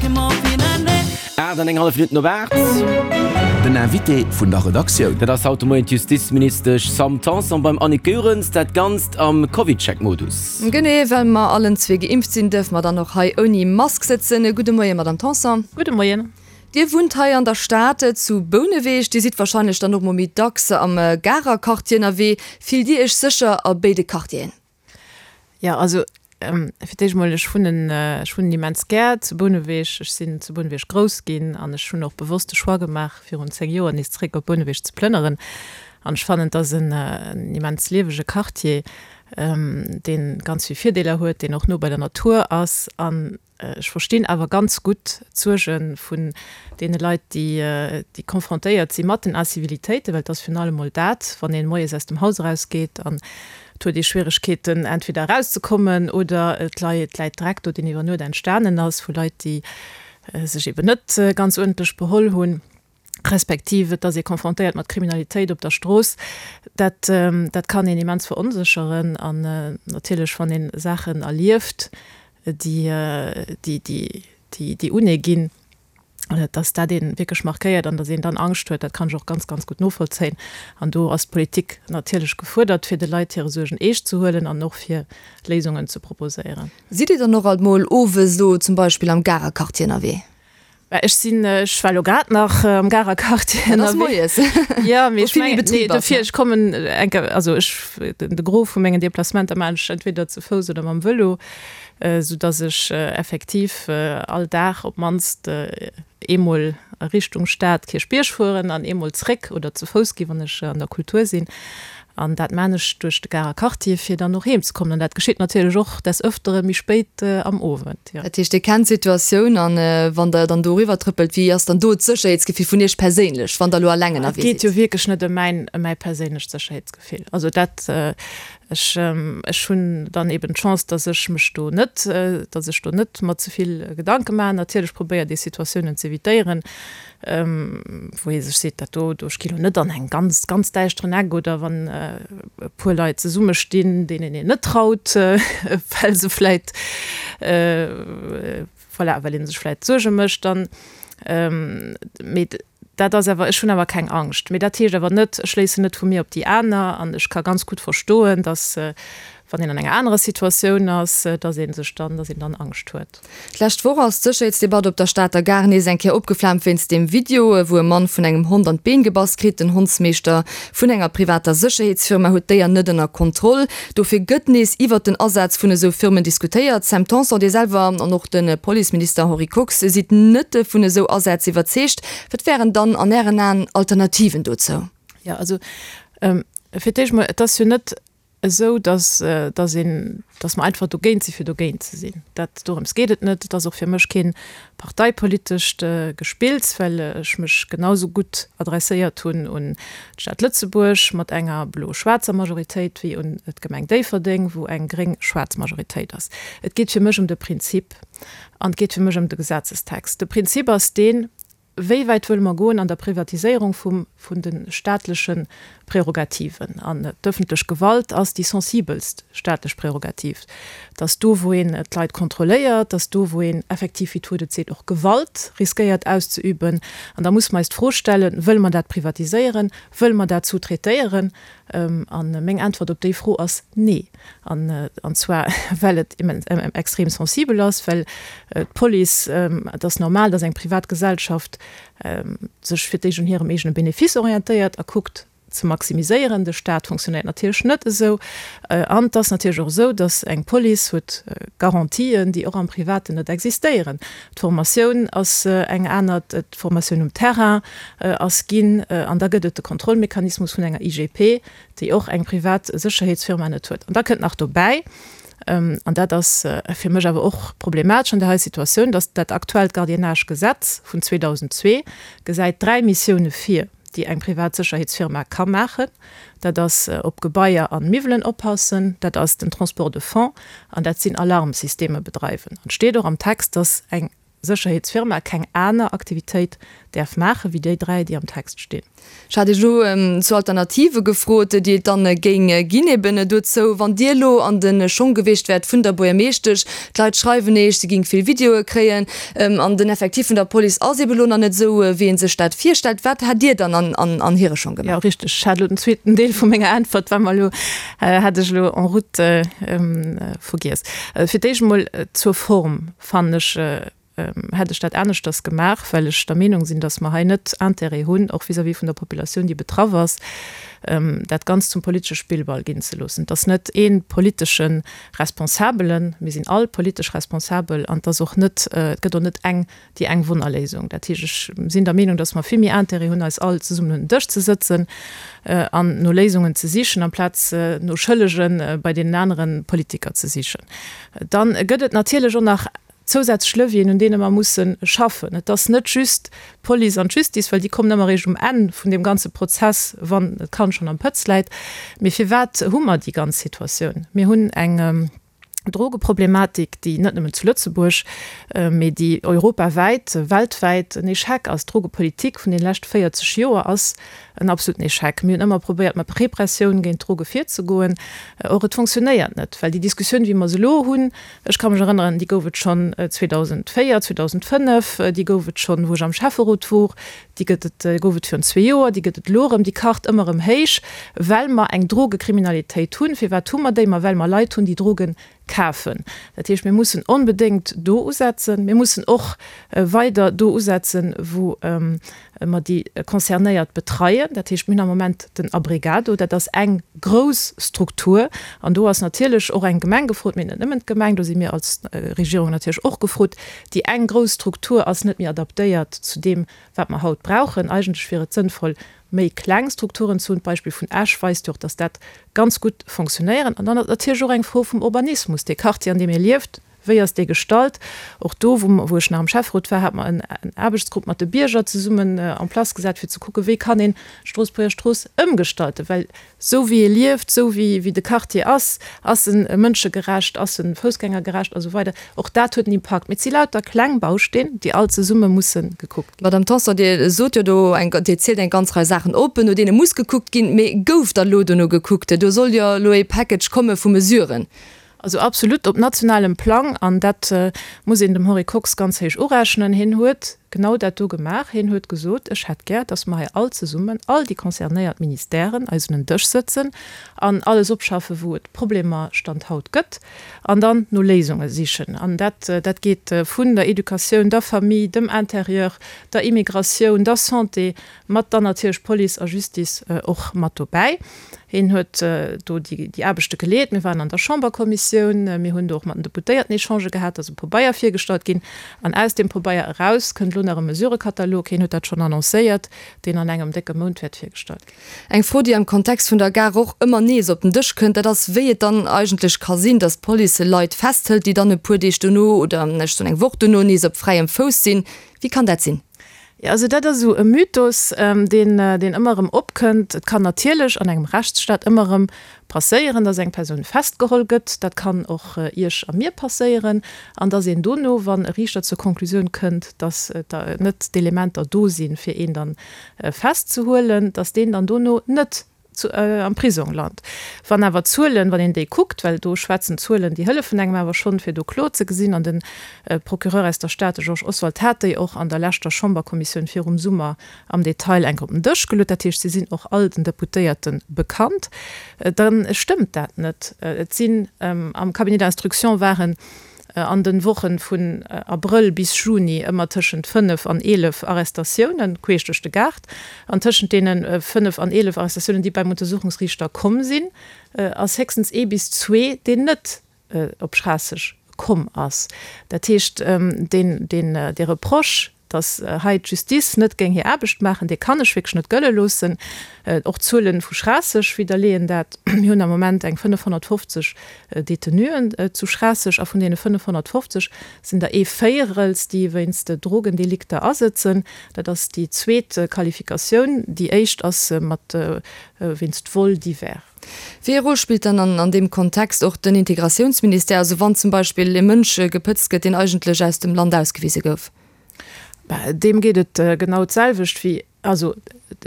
8 an eng hallef Minutten op 8. Den Invité vun der Redaktioun. Dat ass haut de Moien d'Justizministesch Sam Tanson beim Annick Goerens. Dat Ganzt am CovidCheck-Modus. Genee, well mer allen zwee geimpft sinn, dierfe mer dann och hei ouni Mask sëtzen. Gudde Moien, Madamm Tanson. Gudde Moien. Dir wunnt hei an der Stad, zu Bouneweg. Dir sidd warscheinlech dann och mol méi dacks am Garer Quartier ënnerwee. Fillt Dir Iech sécher a béide Quartieren? Jo, also fir d'éischt mol, ech wunnen, ech wunnen immens gär zu Bouneweg. Ech sinn zu Bouneweg grouss ginn an ech hunn och bewosst de Choix gemaach, virun 10 Joer nees zeréck op Bouneweg ze plënneren. An ech fannen, et ass en immens liewege Quartier, dee ganz vill Virdeeler huet, deen och no bei der Natur ass an Ech verstinn awer ganz gutt d'Suerge vun deene Leit, déi confrontéiert si mat den Incivilitéiten, well et ass virun allem emol dat, wann ee moies aus dem Haus erausgeet an et huet ee Schwieregkeeten, entweder erauszekommen oder et läit Dreck do, deen iwwer Nuet entstanen ass vu Leit, déi sech eben net ganz uerdentlech beholl hunn. respektiv et ass ee confrontéiert mat Kriminalitéit op der Strooss, dat, dat kann een immens veronsécheren. An natierlech, wann ee Saachen erlieft, déi, déi, déi, déi, déi un ee ginn, dass dat ee wierklech markéiert an dass een dann Angscht huet, dat kann ech och ganz, ganz gutt novollzéien. An do ass d'Politik natierlech gefuerdert, fir de Leit hire Suergen eescht ze huelen an och fir Léisungen ze proposéieren. Sidd Dir dann och alt mol owes elo zum Beispill am Garer Quartier ënnerwee? Bah, ech sinn, ech war lo grad nach am Garer Quartier Dat ass ënnerwee. moies. Ja, mee Wou ech vill méi mengen, nee, Betrib ass, dofir, ne? ech kommen enke, also ech, den, de Gros vu mengen Deplacementer maachen ech entweder ze Fouss oder mam Vëlo, sou dass ech effektiv all Dag op d'mannst eemol a Richtung Stad, Kierchbierg fueren an eemol zréck oder ze Fouss gi wann ech an der Kultur sinn. An dat maan ech duerch de Garer Quartier, fir dann och heem ze kommen. An dat geschitt natierlech och des Öfteren méi spéit am Owend, jo. Dat heescht, Dir kennt d'Situatioun an wann Der dann do eriwwer trëppelt, wéi ass dann do d'Sécherheetsgefill vun Iech perséinlech, wann Der elo alleng Et ënnerwee geet jo sidd? wierklech net ëm mäin, ëm mäi perséinlecht Sécherheetsgefill. Also dat, ech, ech hunn dann eben d'Chance, dass ech mech do net, dass ech do net mer ze vill Gedanke maachen. Natierlech probéiert ee Situatiounen z'evitéieren, wou ee sech seet, dat do, do, ech gi lo net an eng ganz, ganz däischteren Eck oder wann e puer Leit zesumme stinn, deenen een net traut, well se vläit, voilà, well ee sech vläit Suerge mécht, dann, mee dat ass awer, ech hunn awer keng Angscht. Mee dat heescht awer net, ech schléissen net vu mir op déi aner an ech ka ganz gutt verstoen, datt wann een an enger anerer Situatioun ass, datt ee sech dann, datt een dann Angscht huet. D'lescht Woch ass d'Sécherheetsdebatt op der Stater Gare nees eng Kéier opgeflaamt wéinst deem Video, wou e Mann vun engem Hond an d'Been gebass kritt. Den Hondsmeeschter vun enger privater Sécherheetsfirma huet d'Déier net ënner Kontroll. Dofir gëtt nees iwwert den Asaz vun esou Firmen diskutéiert. Sam Tanson, Dir selwer an och de Policeminister Henri Kox sidd net vun esou Asätz iwwerzeegt. Wat wären dann an Ären Aen Alternativen dozou? Jo, also fir d'éischt mol, et ass jo net esou, dass, dass een, dass mer einfach dogéint si fir dogéint ze sinn. Dat, dorëms geet et net. Et ass och fir mech kee parteipolitescht Gespills, well ech mech genau sou gutt adresséiert hunn un d'Stad Lëtzebuerg mat enger blo-schwaarzer Majoritéit wéi un d'Gemeng Déifferdeng, wou eng gréng-schwaarz Majoritéit ass. Et geet fir mech ëm de Prinzip an et geet fir mech ëm de Gesetzestext. De Prinzip ass deen, Wéi wäit wëlle mer goen an der Privatiséierung vum, vun de staatleche Prärogativen? An d'ëffentlech Gewalt ass déi sensibelst staatlech Prärogativ. Et ass do, wou een d'Leit kontrolléiert, et ass do, wou een effektiv, wéi d'Wuert et seet, och Gewalt riskéiert auszeüben. An da musse mer eis d'Fro stellen, Wëlle mer dat privatiséieren? Wëlle mer dat sous-traitéieren? A meng Äntwert op déi Fro ass nee. An zwar well et extrem sensibel ass, well d'Police, et ass normal, datt eng privat Gesellschaft sech fir d'éischt un hirem eegene Benefice orientéiert a kuckt ze maximiséieren. De Staat fonctionnéiert natierlech net esou. An et ass natierlech och esou, datt eng Police huet Garantien, déi och am Privaten net existéieren. D'Formatioun ass eng aner, d'Formatioun um Terrain ass ginn an da gëtt et de Kontrollmechanismus vun enger IGP, déi och eng privat Sécherheetsfirma net huet. An da kënnt nach dobäi, an dat ass fir mech awer och problematesch an där hei Situatioun, datt dat aktuellt Gardiennage-Gesetz vun 2002 gesäit 3 Missioune vir, déi eng privat Sécherheetsfirma ka maachen. Dat ass op Gebaier an Miwwelen oppassen, dat ass den Transport de fonds an dat sinn Alarmsysteme bedreiwen. An et steet och am Text, datt eng. Sécherheetsfirma keng aner Aktivitéit däerf maachen, wéi déi 3, déi am Text stinn. Ech hat Iech elo zu Alternative gefrot, déi et dann géing ginn eben dozou, wann Dir elo an de Schong gewiescht wäert vun der Buergermeeschtesch. D'Leit schreiwen Iech, si géing vill Videoe kréien an den Effectif vun der Police ass eben elo nach net esou, wéi ee sech dat virstellt. Wat hätt Dir dann an hire Schong gemaach? Jo, richteg. Ech hat elo den zweeten Deel vu menger Äntwert, war mer elo, hat ech elo en route vergiess. Fir d'éischt emol zur Form, fannen ech, hätt ech dat aneschters gemaach, well ech der Meenung sinn, dass mer hei net Intérêt hunn, och vis-à-vis vun der Populatioun, déi betraff ass, dat Ganzt zum politesche Spillball ginn ze loossen. Et ass net ee politesche Responsabelen, mir sinn all politesch responsabel an et ass och net, et gëtt och net eng, déi eng Wonnerléisung. Dat heescht, ech sinn der Meenung, dass mer vill méi Intérêt hunn, eis all zesummen un den Dësch ze sëtzen an no Léisungen ze sichen, amplaz no Schëllege bei deenen anere Politiker ze sichen. Dann gëtt et natierlech och nach zousätzlech Levieren, un deene mer musse schaffen. Et ass net just d'Police an d'Justice, well déi kommen ëmmer eréischt um Enn vun deem ganze Prozess, wann d'Kand schonn am Pëtz läit. Mee firwat hu mer déi ganz Situatioun? Mir hunn eng Drogeproblematik, déi net nëmmen zu Lëtzebuerg, mee déi europawäit, weltwäit en Echec ass. D'Drogepolitik vun deene leschte 40 Joer ass en absoluten Echec. Mir hunn ëmmer probéiert, mat Repressioun géint d'Droge virzegoen. Or, et fonctionnéiert net, well déi Diskussioun, wéi mer se elo hunn, Ech ka mech erënneren, déi gouf et schonn 2004, 2005, déi gouf et schonn, wou ech am Schäfferot wor, déi gëtt et, gouf et virun zwee Joer, déi gëtt et elo erëm, déi kacht ëmmer erëm héich, well mer eng Drogekriminalitéit hunn. Firwat hu mer déi? Ma well mer Leit hunn, déi Droge kafen. Dat heescht, mir mussen onbedéngt do usetzen. Mir mussen och weider do usetzen, wou mer déi Concernéiert betreien. Dat heescht, mir hunn am Moment den Abrigado, dat ass eng grouss Struktur an do ass natierlech och eng Gemeng gefrot, mee net nëmmen d'Gemeng, do si mir als Regierung natierlech och gefrot. Déi eng grouss Struktur ass net méi adaptéiert zu deem, wat mer haut brauchen. Eigentlech wier et sënnvoll, méi kleng Strukturen ze hunn. D'Beispill vun Esch weist jo och, dass dat ganz gutt fonctionnéieren. An dann ass et natierlech och eng Fro vum Urbanismus. Dee Quartier, an deem ee lieft, Wéi ass dee gestalt? Och do, wou ech nach am Schäfferot war, hate mer en Aarbechtsgrupp mat de Bierger zesummen en place gesat, fir ze kucken, wéi kann een d'Stroossbuerger Strooss ëmgestalten. Well esou wéi e lieft, esou wéi de Quartier ass, ass en mënschegerecht, ass en foussgängergerecht a sou weider. Och dat huet en Impakt. Mee et si lauter kleng Bausteen, déi all zesumme musse gekuckt ginn. Madame Tanson, Dir sot jo do eng, Dir zielt eng ganz Rei Saachen op, no deene muss gekuckt ginn. Mee gouf da lo dono gekuckt? Do soll jo elo ee Package komme vu Mesuren. Also absolut op nationalem Plang, an dat muss een dem Henri Kox ganz héich urechnen, hien huet genau dat do gemaach. Hien huet gesot, ech hätt gär, datt mer hei all zesummen, all déi concernéiert Ministèren, eis un en Dësch sëtzen an alles opschaffen, wou et Problemer Stand haut gëtt, an dann no Léisunge sichen. An dat, dat geet vun der Educatioun, der Famille, dem Intérieur, der Immigratioun, der Santé, mat dann natierlech Police a Justice och mat dobäi. Hien huet do déi Aarbechte geleet. Mir waren an der Chamberkommissioun, mir hunn do och mat den Deputéierten Echangë gehat, da ass e Pabeier virgestallt ginn. An aus deem Pabeier eraus kënnt elo nach e Mesurëkatalog, hien huet dat schonn annoncéiert, deen an engem décke Mount wäert virgestallt ginn. Eng Fro, déi am Kontext vun der Gare och ëmmer nees op den Dësch kënnt, dat ass, wéi et dann eigentlech ka sinn, datt d'Police Leit festhëlt, déi dann e puer Deeg dono oder ech soen eng Woch dono nees op fräiem Fouss sinn. Wéi kann dat sinn? Jo, also dat ass esou e Mythos, deen, deen ëmmer erëm opkënnt. Et kann natierlech an engem Rechtsstaat ëmmer erëm passéieren, dass eng Persoun festgeholl gëtt. Dat kann och Iech a mir passéieren. An dass een dono, wann e Riichter zur Konklusioun kënnt, dass net d'Elementer do sinn, fir een dann festzehuelen, dass deen dann dono net am Prisong lant. Wann awer d'Zuelen, wann een déi kuckt, well do schwätzen d'Zuelen, déi hëllefen engem awer schonn, fir do kloer ze gesinn, an de Procureur aus der Stad, de Georges Oswald, hat déi och an der leschter Chamberkommissioun virum Summer am Detail enk op den Dësch geluet, dat heescht, se sinn och all den Deputéierte bekannt, da stëmmt dat net. Et sinn am Cabinet d'instruction waren an den Wochen vun Abrëll bis Juni ëmmer tëschent 5 an 11 Arrestatiounen queesch duerch de Gaart. An tëschent deene 5 an 11 Arrestatiounen, déi beim Untersuchungsriichter komm sinn, ass héchstens ee bis zwee, deen net op Schraasseg komm ass. Dat heescht, deen, deen, dee Reproche, Datt hei d'Justice net géing hir Aarbecht maachen, dee kann ech wierklech net gëlle loossen. Och d'Zuele vu Schraasseg widderleeën dat. Mir hunn am Moment eng 550 Detenuen zu Schraasseg a vun deene 550 sinn der ee Véierels, déi wéinst Drogendelikter asëtzen. Dat ass déi zweet Qualifikatioun. Déi éischt ass mat wéinst Vol divers. Wéi ee Rôle spillt dann an deem Kontext och den Integratiounsministère, also wann zum Beispill e Mënsch gepëtzt gëtt, deen eigentlech aus dem Land ausgewise gouf? Deem geet et genau d'selwecht wéi, also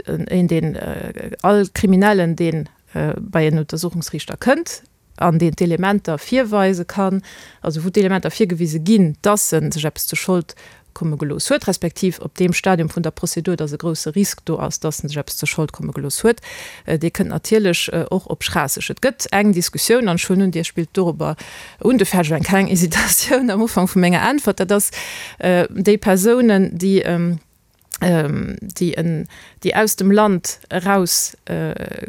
een deen, all Kriminellen deen bei en Untersuchungsriichter kënnt an deen d'Elementer virweise kann, also wou d'Elementer virgewise ginn, dass e sech eppes zu Schold komme gelooss huet, respektiv op deem Stadium vun der Prozedur, dass e grouse Risk do ass, dass en sech eppes zur Schold komme gelooss huet, dee kënnt natierlech och op Schraasseg. Et gëtt eng Diskussioun, an ech huelen un, Dir spillt dorobber un, dofir hat ech eng kleng Hesitatioun am Ufank vu menger Äntwert, dat ass déi Persounen, déi, déi en, déi aus dem Land eraus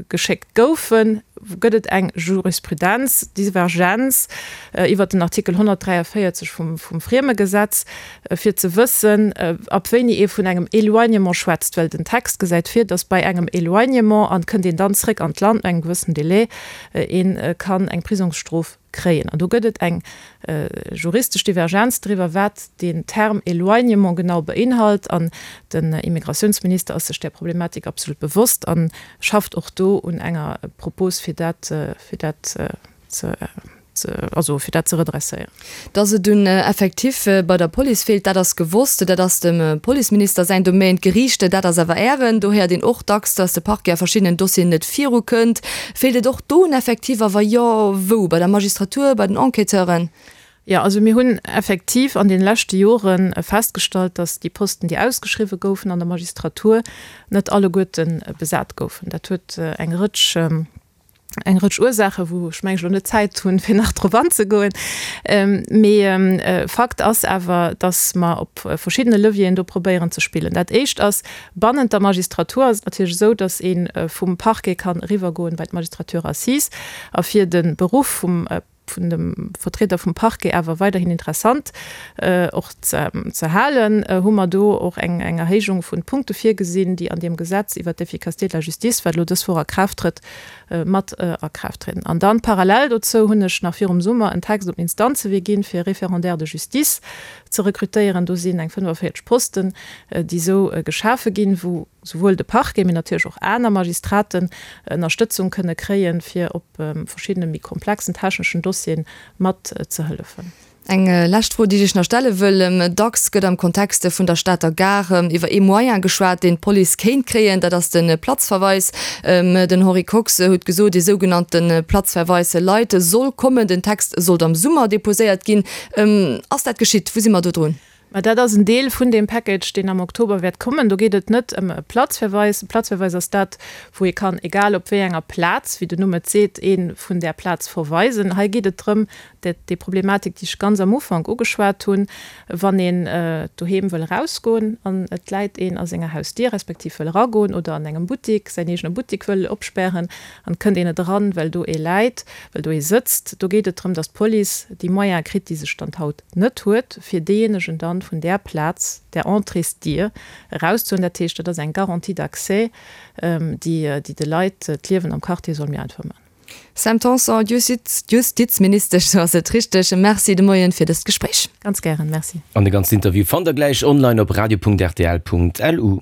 geschéckt goufen, gëtt et eng Jurisprudenz, Divergenz iwwert den Artikel 143 vum, vum Friemegesetz, fir ze wëssen, ab wéini ee vun engem Éloignement schwätzt, well den Text gesäit vir, datt bei engem Éloignement, an kënnt een dann zréck an d'Land no engem gewëssenen Délai, ee kann eng Prisongsstrof kréien. An do gëtt et eng juristesch Divergenz driwwer, wat deen Term Éloignement genau beinhalt. An den Immigratiounsminister ass sech där Problematik absolut bewosst a schafft och do un enger Propos, fir dat, fir dat ze, also fir dat ze redresséieren. Dass et un Effectif bei der Police feelt, dat ass gewosst. Dat ass dem Policeminister säin Domaine. D'Geriicht, dat ass awer Ären. Do héiert een och dacks, dass de Parquet a verschiddenen Dossieren net virukënnt. Feelt et och do un Effectif a wa jo, wou? Bei der Magistratur, bei den Enquêteuren? Jo, also mir hunn effektiv an deene leschte Jore festgestallt, dass déi Posten, déi ausgeschriwwe goufen an der Magistratur, net alleguerte besat goufen. Dat huet eng Rëtsch eng Rëtsch Ursaachen, wou ech mengen ech elo net Zäit hunn, fir nach drop anzegoen. Mee Fakt ass awer, datt mer op verschiddene Levieren do probéieren ze spillen. Dat éischt ass, bannent der Magistratur ass et natierlech esou, datt ee vum Parquet kann eriwwergoen bei d'Magistrature assise. A fir de Beruff vum vun dem Vertrieder vum Parquet awer weiderhin interessant och ze halen, hu mer do och eng Erhéijung vun Punkte virgesinn, déi an deem Gesetz iwwert d'Efficacité de la justice, wat elo dës Woch a Kraaft trëtt, mat a Kraaft trieden. An dann parallel dozou hunn ech nach virum Summer en Text op den Instanzewee ginn, fir Référendaires de justice ze rekrutéieren. Do sinn eng 45 Posten, déi esou geschafe ginn, wou souwuel de Parquet, mee natierlech och aner Magistraten Ënnerstëtzung kënne kréien, fir op verschiddene méi komplexen techneschen Dossieren mat ze hëllefen. Eng lescht Fro, déi ech nach stelle wëll, Dacks gëtt am Kontext vun der Stater Gare iwwer ee Moyen geschwat, deen d'Police kéint kréien, dat ass de Platzverweis. Den Henri Kox huet gesot, ee sougenannte Platzverweis light soll kommen. Den Text sollt am Summer deposéiert ginn. Ass dat geschitt? Wou si mer do drun? Mä dat ass en Deel vun deem Package, deen am Oktober wäert kommen. Do geet et net ëm e Platzverweis. E Platzverweis ass dat, wou ee kann, egal op wéi enger Plaz, wéi den Numm et seet, ee vun där Plaz verweisen. Hei geet et drëm, dat déi Problematik, déi ech ganz am Ufank ugeschwat hunn, wann een doheem wëll erausgoen an et läit een a senger Hausdier, respektiv wëll eragoen oder an engem Buttik, säin eegene Buttik wëll opspären an et kënnt een net eran, well do ee läit, well do ee sëtzt. Do geet et drëm, datt d'Police déi Moyene kritt, déi se Stand haut net huet, fir deejéinegen dann vun där Plaz, där Entréesdier erauszehuelen. Dat heescht, dat ass eng Garantie d'accès, déi déi de Leit d'Liewen am Quartier soll méi einfach maachen. Sam Tanson, Justizministesch, sou ass et richteg. Merci de Moien fir dëst Gespréich. Ganz gären, merci. An de ganzen Interview fannt der gläich online op radio.rtl.lu.